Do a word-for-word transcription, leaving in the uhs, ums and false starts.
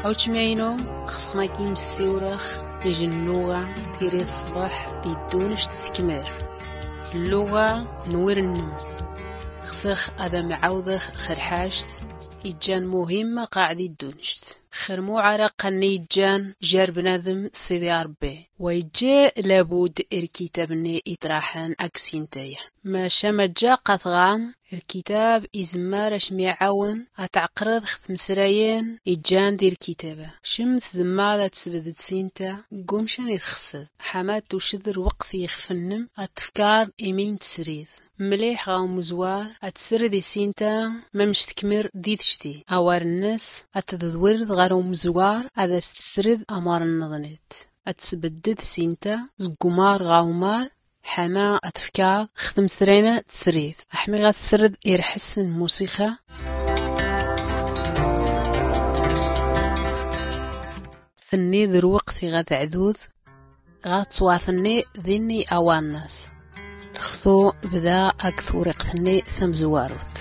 Awčmaynu xsxnaki mssiwrax ijnnuɣa tiri ṣṣbaḥ di ddunct tkmer lluɣa n wirnm. Xsx ad amɛawdx xrḥact ijjan muhimma qaɛdi ddunct xrmuɛaraq anni ijjan jar bnadm sidi arbi. Wa ijja labud irkitabnni itraḥn aksintaya. Maca majja qatɣam irkitab izmmar ašmiɛawn atɛqrd xtmsrayn ijjan d irkitaba. Cm tzmmad atsbdd sinta gumcan itxsd ḥama tucd rwqt ixfnnm atfkar imin tsrid mliḥ ɣa umzwar atsrd isinta. Mamc tkmr didcti awar nns atdwrd ɣar umzwar ad astsrd amar nnḍnit atsbdded sinta zgumar ɣa umar. Ḥama atfkar xtmsrayn tsrid aḥmiɣ atsrd irḥsn musixa. Tnni d rwqt iɣa tɛdud ɣa tswatnni dinni awarnas. Rxtu bda ag twriqtnni tamzwarut.